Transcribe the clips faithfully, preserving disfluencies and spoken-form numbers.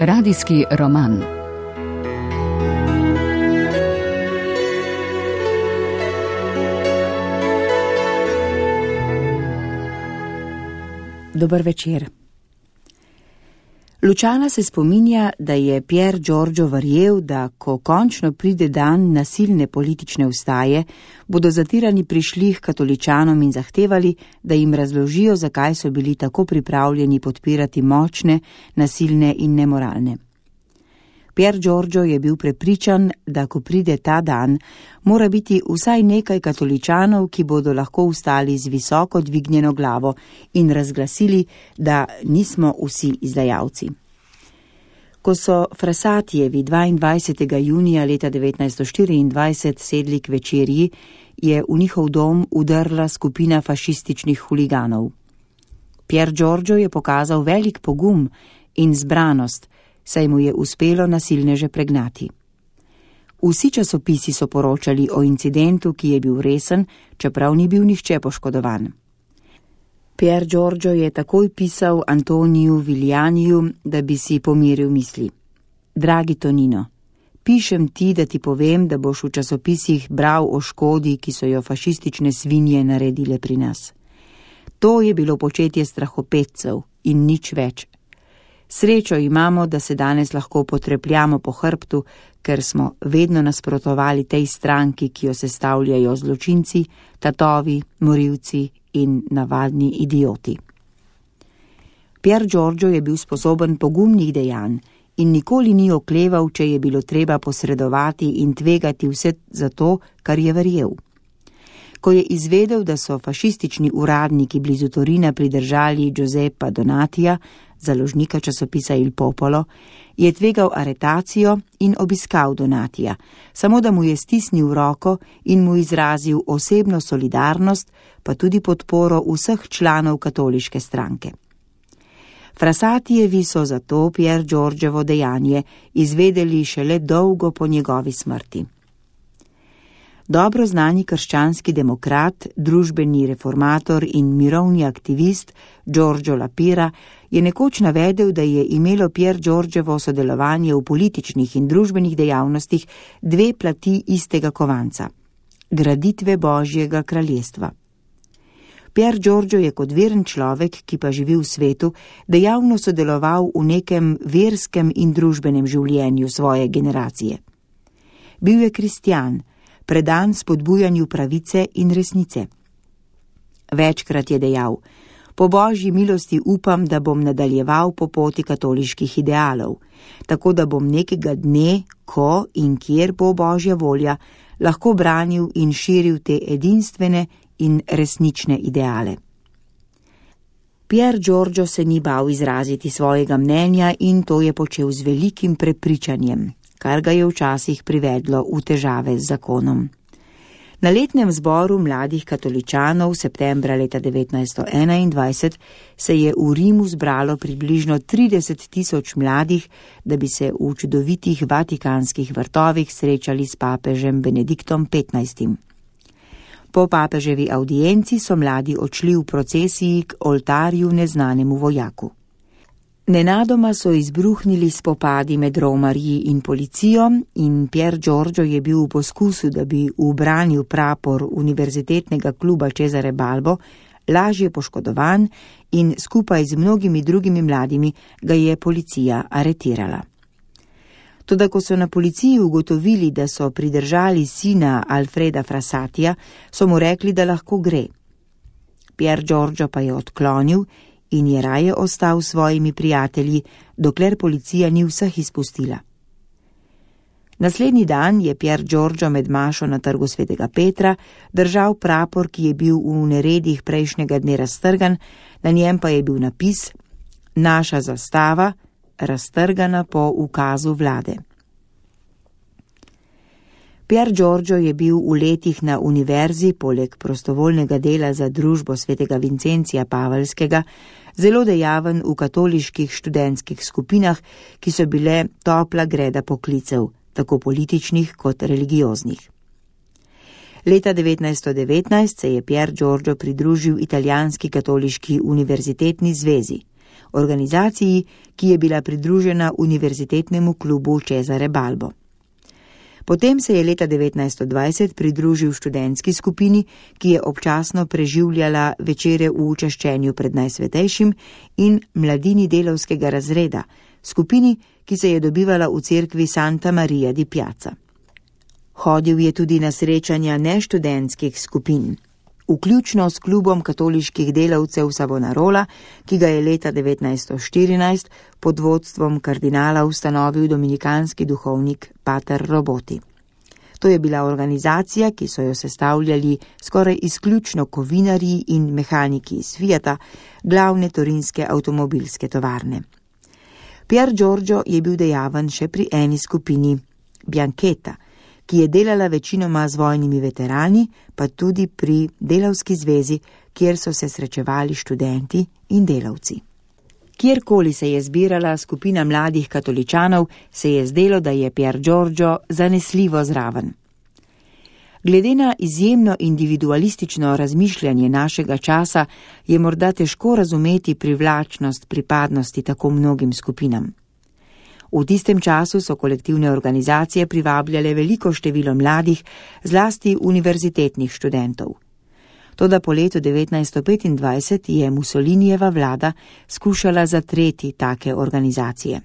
Radijski roman. Dober večer. Lučana se spominja, da je Pier Giorgio verjel, da ko končno pride dan nasilne politične vstaje, bodo zatirani prišli k katoličanom in zahtevali, da jim razložijo, zakaj so bili tako pripravljeni podpirati močne, nasilne in nemoralne. Pier Giorgio je bil prepričan, da ko pride ta dan, mora biti vsaj nekaj katoličanov, ki bodo lahko vstali z visoko dvignjeno glavo in razglasili, da nismo vsi izdajalci. Ko so Frassatijevi dvaindvajsetega junija leta devetnajststo štiriindvajset sedli k večerji, je v njihov dom udrla skupina fašističnih huliganov. Pier Giorgio je pokazal velik pogum in zbranost, saj mu je uspelo nasilneže pregnati. Vsi časopisi so poročali o incidentu, ki je bil resen, čeprav ni bil nihče poškodovan. Pier Giorgio je takoj pisal Antoniju Viglianiju, da bi si pomiril misli. Dragi Tonino, pišem ti, da ti povem, da boš v časopisih bral o škodi, ki so jo fašistične svinje naredile pri nas. To je bilo početje strahopetcev in nič več. Srečo imamo, da se danes lahko potrepljamo po hrbtu, ker smo vedno nasprotovali tej stranki, ki jo sestavljajo zločinci, tatovi, morilci in navadni idioti. Pier Giorgio je bil sposoben pogumnih dejanj in nikoli ni okleval, če je bilo treba posredovati in tvegati vse za to, kar je verjel. Ko je izvedel, da so fašistični uradniki blizu Torina pridržali Giuseppa Donatija, založnika časopisa Il Popolo, je tvegal aretacijo in obiskal Donatija, samo da mu je stisnil roko in mu izrazil osebno solidarnost, pa tudi podporo vseh članov katoliške stranke. Frassatijevi so zato Pier Giorgiovo dejanje izvedeli šele dolgo po njegovi smrti. Dobro znani krščanski demokrat, družbeni reformator in mirovni aktivist Giorgio La Pira je nekoč navedel, da je imelo Pier Giorgiovo sodelovanje v političnih in družbenih dejavnostih dve plati istega kovanca – graditve Božjega kraljestva. Pier Giorgio je kot veren človek, ki pa živi v svetu, dejavno sodeloval v nekem verskem in družbenem življenju svoje generacije. Bil je kristjan, predan spodbujanju pravice in resnice. Večkrat je dejal: po Božji milosti upam, da bom nadaljeval po poti katoliških idealov, tako da bom nekega dne, ko in kjer bo Božja volja, lahko branil in širil te edinstvene in resnične ideale. Pier Giorgio se ni bal izraziti svojega mnenja in to je počel z velikim prepričanjem, kar ga je včasih privedlo v težave z zakonom. Na letnem zboru mladih katoličanov septembra leta devetnajststo enaindvajset se je v Rimu zbralo približno trideset tisoč mladih, da bi se v čudovitih vatikanskih vrtovih srečali s papežem Benediktom petnajstim. Po papeževi avdienci so mladi odšli v procesiji k oltarju neznanemu vojaku. Nenadoma so izbruhnili spopadi med romarji in policijo in Pier Giorgio je bil v poskusu, da bi ubranil prapor Univerzitetnega kluba Cesare Balbo, lažje poškodovan in skupaj z mnogimi drugimi mladimi ga je policija aretirala. Toda ko so na policiji ugotovili, da so pridržali sina Alfreda Frassatija, so mu rekli, da lahko gre. Pier Giorgio pa je odklonil in je raje ostal s svojimi prijatelji, dokler policija ni vseh izpustila. Naslednji dan je Pier Giorgio med mašo na trgu svetega Petra držal prapor, ki je bil v neredih prejšnjega dne raztrgan, na njem pa je bil napis: naša zastava, raztrgana po ukazu vlade. Pier Giorgio je bil v letih na univerzi, poleg prostovoljnega dela za družbo svetega Vincencija Pavelskega, zelo dejaven v katoliških študentskih skupinah, ki so bile topla greda poklicev, tako političnih kot religioznih. Leta devetnajststo devetnajst se je Pier Giorgio pridružil italijanski katoliški univerzitetni zvezi. organizaciji, ki je bila pridružena Univerzitetnemu klubu Cesare Balbo. Potem se je leta devetnajststo dvajset pridružil študentski skupini, ki je občasno preživljala večere v čaščenju pred Najsvetejšim, in mladini delavskega razreda, skupini, ki se je dobivala v cerkvi Santa Maria di Piazza. Hodil je tudi na srečanja neštudentskih skupin, vključno s klubom katoliških delavcev Savonarola, ki ga je leta devetnajststo štirinajst pod vodstvom kardinala ustanovil dominikanski duhovnik pater Roboti. To je bila organizacija, ki so jo sestavljali skoraj izključno kovinarji in mehaniki iz Fiata, glavne torinske avtomobilske tovarne. Pier Giorgio je bil dejaven še pri eni skupini, Bianchetta, ki je delala večinoma z vojnimi veterani, pa tudi pri delavski zvezi, kjer so se srečevali študenti in delavci. Kjerkoli se je zbirala skupina mladih katoličanov, se je zdelo, da je Pier Giorgio zanesljivo zraven. Glede na izjemno individualistično razmišljanje našega časa, je morda težko razumeti privlačnost pripadnosti tako mnogim skupinam. V tistem času so kolektivne organizacije privabljale veliko število mladih, zlasti univerzitetnih študentov. Toda po letu devetnajststo petindvajset je Mussolinijeva vlada skušala zatreti take organizacije.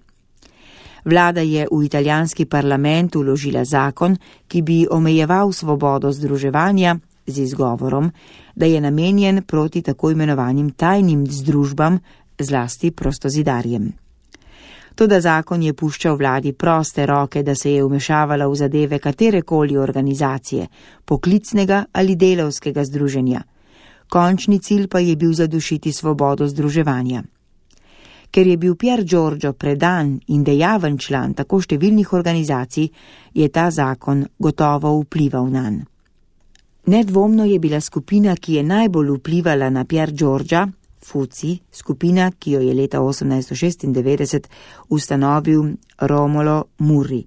Vlada je v italijanski parlament vložila zakon, ki bi omejeval svobodo združevanja z izgovorom, da je namenjen proti tako imenovanim tajnim združbam, zlasti prostozidarjem. Toda zakon je puščal vladi proste roke, da se je vmešavala v zadeve katerekoli organizacije, poklicnega ali delavskega združenja. Končni cilj pa je bil zadušiti svobodo združevanja. Ker je bil Pier Giorgio predan in dejaven član tako številnih organizacij, je ta zakon gotovo vplival nanj. Nedvomno je bila skupina, ki je najbolj vplivala na Pier Giorgia, Fuci, skupina, ki jo je leta osemnajststo šestindevetdeset ustanovil Romolo Murri.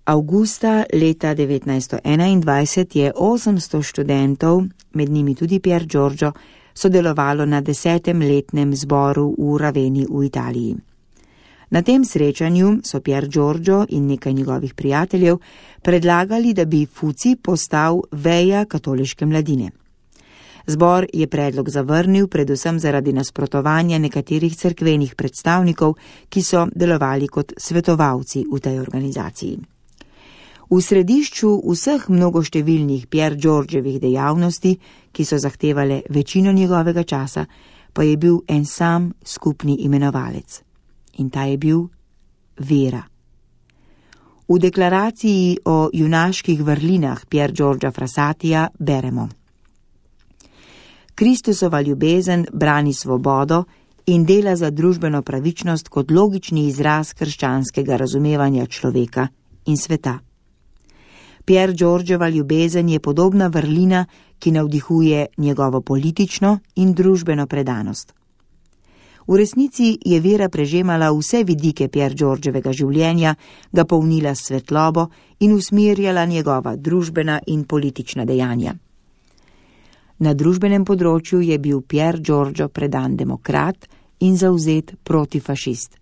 Augusta leta devetnajststo enaindvajset je osemsto študentov, med njimi tudi Pier Giorgio, sodelovalo na desetem letnem zboru v Raveni v Italiji. Na tem srečanju so Pier Giorgio in nekaj njegovih prijateljev predlagali, da bi Fuci postal veja katoliške mladine. Zbor je predlog zavrnil predvsem zaradi nasprotovanja nekaterih cerkvenih predstavnikov, ki so delovali kot svetovalci v tej organizaciji. V središču vseh mnogoštevilnih Pier Giorgievih dejavnosti, ki so zahtevale večino njegovega časa, pa je bil en sam skupni imenovalec. In ta je bil vera. V deklaraciji o junaških vrlinah Pier Giorgia Frassatija beremo: Kristusova ljubezen brani svobodo in dela za družbeno pravičnost kot logični izraz krščanskega razumevanja človeka in sveta. Pier Giorgiova ljubezen je podobna vrlina, ki navdihuje njegovo politično in družbeno predanost. V resnici je vera prežemala vse vidike Pier Giorgievega življenja, ga polnila s svetlobo in usmerjala njegova družbena in politična dejanja. Na družbenem področju je bil Pier Giorgio predan demokrat in zavzet protifašist.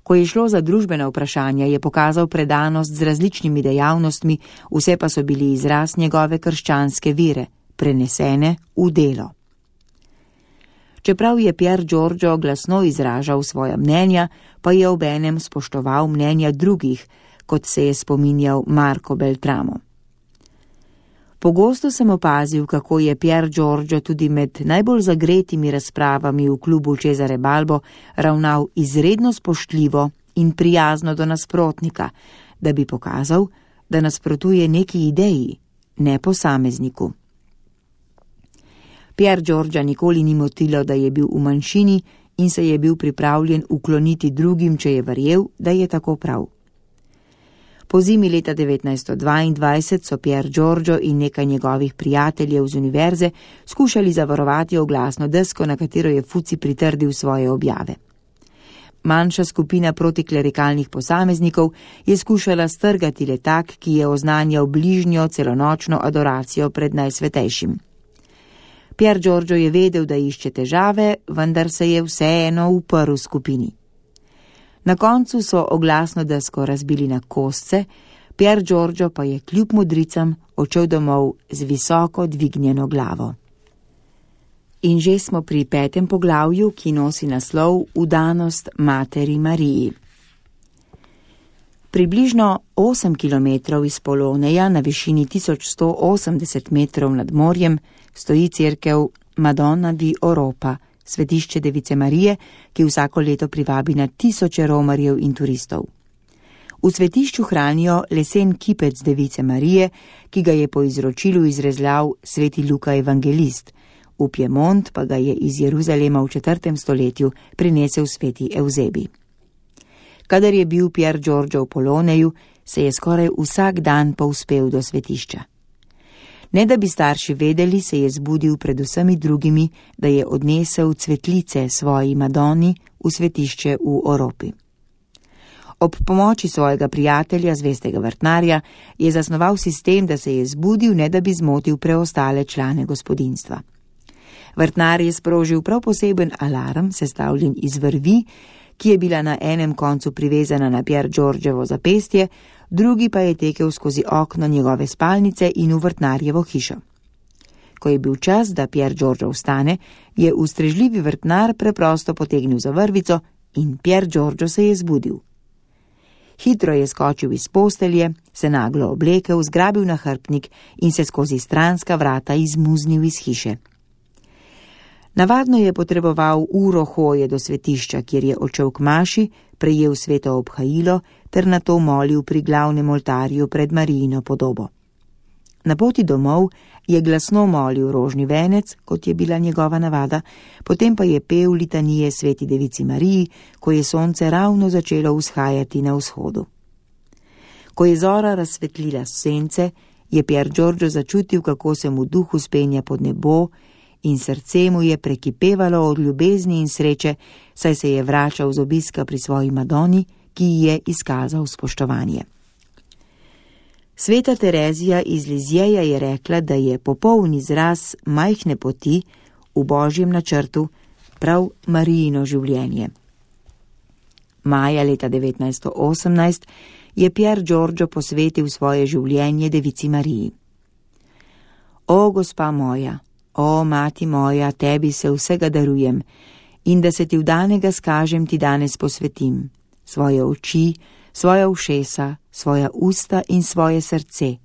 Ko je šlo za družbena vprašanja, je pokazal predanost z različnimi dejavnostmi, vse pa so bili izraz njegove krščanske vere, prenesene v delo. Čeprav je Pier Giorgio glasno izražal svoja mnenja, pa je obenem spoštoval mnenja drugih, kot se je spominjal Marco Beltramo. Pogosto sem opazil, kako je Pier Giorgio tudi med najbolj zagretimi razpravami v klubu Cesare Balbo ravnal izredno spoštljivo in prijazno do nasprotnika, da bi pokazal, da nasprotuje neki ideji, ne posamezniku. Pier Giorgia nikoli ni motilo, da je bil v manjšini in se je bil pripravljen ukloniti drugim, če je verjel, da je tako prav. Po zimi leta devetnajststo dvaindvajset so Pier Giorgio in nekaj njegovih prijateljev z univerze skušali zavarovati oglasno desko, na katero je Fuci pritrdil svoje objave. Manjša skupina protiklerikalnih posameznikov je skušala strgati letak, ki je oznanjal bližnjo celonočno adoracijo pred Najsvetejšim. Pier Giorgio je vedel, da išče težave, vendar se je vseeno uprl skupini. Na koncu so oglasno desko razbili na kosce, Pier Giorgio pa je kljub modricam odšel domov z visoko dvignjeno glavo. In že smo pri petem poglavju, ki nosi naslov Vdanost materi Mariji. Približno osem kilometrov iz Poloneja na višini tisoč sto osemdeset metrov nad morjem stoji cerkev Madonna di Oropa, svetišče Device Marije, ki vsako leto privabi na tisoče romarjev in turistov. V svetišču hranijo lesen kipec Device Marije, ki ga je po izročilu izrezljal sveti Luka evangelist, v Piemont pa ga je iz Jeruzalema v četrtem stoletju prinesel sveti Evzebi. Kadar je bil Pier Giorgio v Poloneju, se je skoraj vsak dan povzpel do svetišča. Ne da bi starši vedeli, se je zbudil pred vsemi drugimi, da je odnesel cvetlice svoji Madoni v svetišče v Oropi. Ob pomoči svojega prijatelja, zvestega vrtnarja, je zasnoval sistem, da se je zbudil, ne da bi zmotil preostale člane gospodinjstva. Vrtnar je sprožil prav poseben alarm, sestavljen iz vrvi, ki je bila na enem koncu privezana na Pier Giorgiovo zapestje, drugi pa je tekel skozi okno njegove spalnice in v vrtnarjevo hišo. Ko je bil čas, da Pier Giorgio vstane, je ustrežljivi vrtnar preprosto potegnil za vrvico in Pier Giorgio se je zbudil. Hitro je skočil iz postelje, se naglo oblekel, zgrabil nahrbtnik in se skozi stranska vrata izmuznil iz hiše. Navadno je potreboval uro hoje do svetišča, kjer je odšel k maši, prejel sveto obhajilo ter nato molil pri glavnem oltarju pred Marijino podobo. Na poti domov je glasno molil rožni venec, kot je bila njegova navada, potem pa je pel litanije sveti Devici Mariji, ko je sonce ravno začelo vzhajati na vzhodu. Ko je zora razsvetlila sence, je Pier Giorgio začutil, kako se mu duh vzpenja pod nebo, in srce mu je prekipevalo od ljubezni in sreče, saj se je vračal z obiska pri svoji Madoni, ki ji je izkazal spoštovanje. Sveta Terezija iz Lizjeja je rekla, da je popoln izraz majhne poti v božjem načrtu prav Marijino življenje. Maja leta devetnajststo osemnajst je Pier Giorgio posvetil svoje življenje Devici Mariji. O, gospa moja, o, mati moja, tebi se vsega darujem in da se ti vdanega skažem ti danes posvetim, svoje oči, svoja ušesa, svoja usta in svoje srce,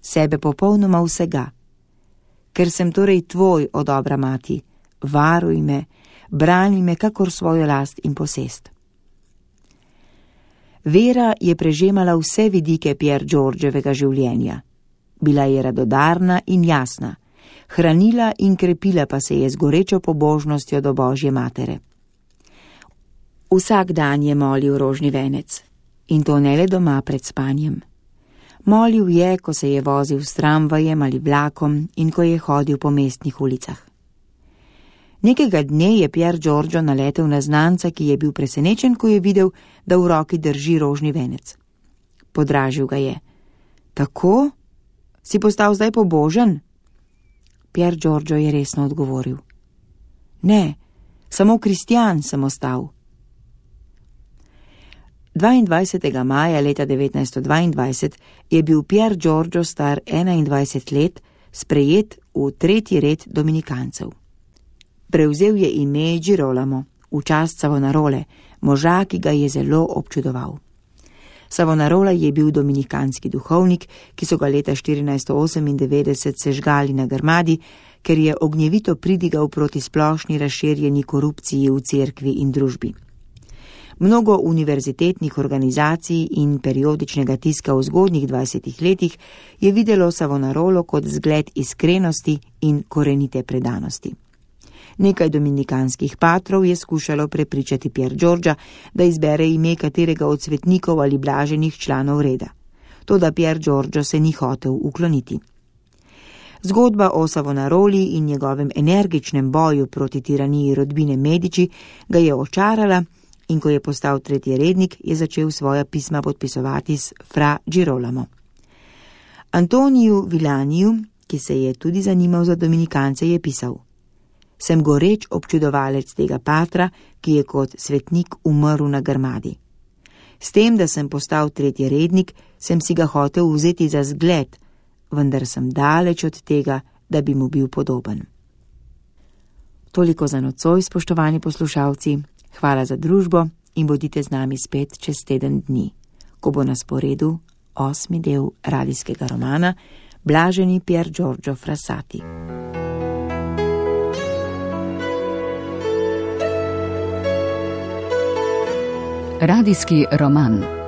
sebe popolnoma vsega. Ker sem torej tvoj, o dobra mati, varuj me, brani me kakor svojo last in posest. Vera je prežemala vse vidike Pier Giorgiovega življenja. Bila je radodarna in jasna, hranila in krepila pa se je z gorečo pobožnostjo do Božje matere. Vsak dan je molil rožni venec, in to ne le doma pred spanjem. Molil je, ko se je vozil s tramvajem ali vlakom in ko je hodil po mestnih ulicah. Nekega dne je Pier Giorgio naletel na znanca, ki je bil presenečen, ko je videl, da v roki drži rožni venec. Podražil ga je. Tako? Si postal zdaj pobožen? Pier Giorgio je resno odgovoril. Ne, samo kristjan sem ostal. dvaindvajsetega maja leta devetnajststo dvaindvajset je bil Pier Giorgio star enaindvajset let, sprejet v tretji red dominikancev. Prevzel je ime Girolamo, v čast Savonarole, moža, ki ga je zelo občudoval. Savonarola je bil dominikanski duhovnik, ki so ga leta štirinajststo osemindevetdeset sežgali na Grmadi, ker je ognjevito pridigal proti splošni razširjeni korupciji v cerkvi in družbi. Mnogo univerzitetnih organizacij in periodičnega tiska v zgodnjih dvajsetih letih je videlo Savonarolo kot zgled iskrenosti in korenite predanosti. Nekaj dominikanskih patrov je skušalo prepričati Pier Giorgia, da izbere ime katerega od svetnikov ali blaženih članov reda. Toda Pier Giorgio se ni hotel ukloniti. Zgodba o Savonaroli in njegovem energičnem boju proti tiraniji rodbine Medici ga je očarala in ko je postal tretji rednik, je začel svoja pisma podpisovati s fra Girolamo. Antoniju Vilaniju, ki se je tudi zanimal za dominikance, je pisal: Sem goreč občudovalec tega patra, ki je kot svetnik umrl na grmadi. S tem, da sem postal tretjerednik, sem si ga hotel vzeti za zgled, vendar sem daleč od tega, da bi mu bil podoben. Toliko za nocoj, spoštovani poslušalci. Hvala za družbo in bodite z nami spet čez teden dni, ko bo na sporedu osmi del radijskega romana Blaženi Pier Giorgio Frassati. Radijski roman.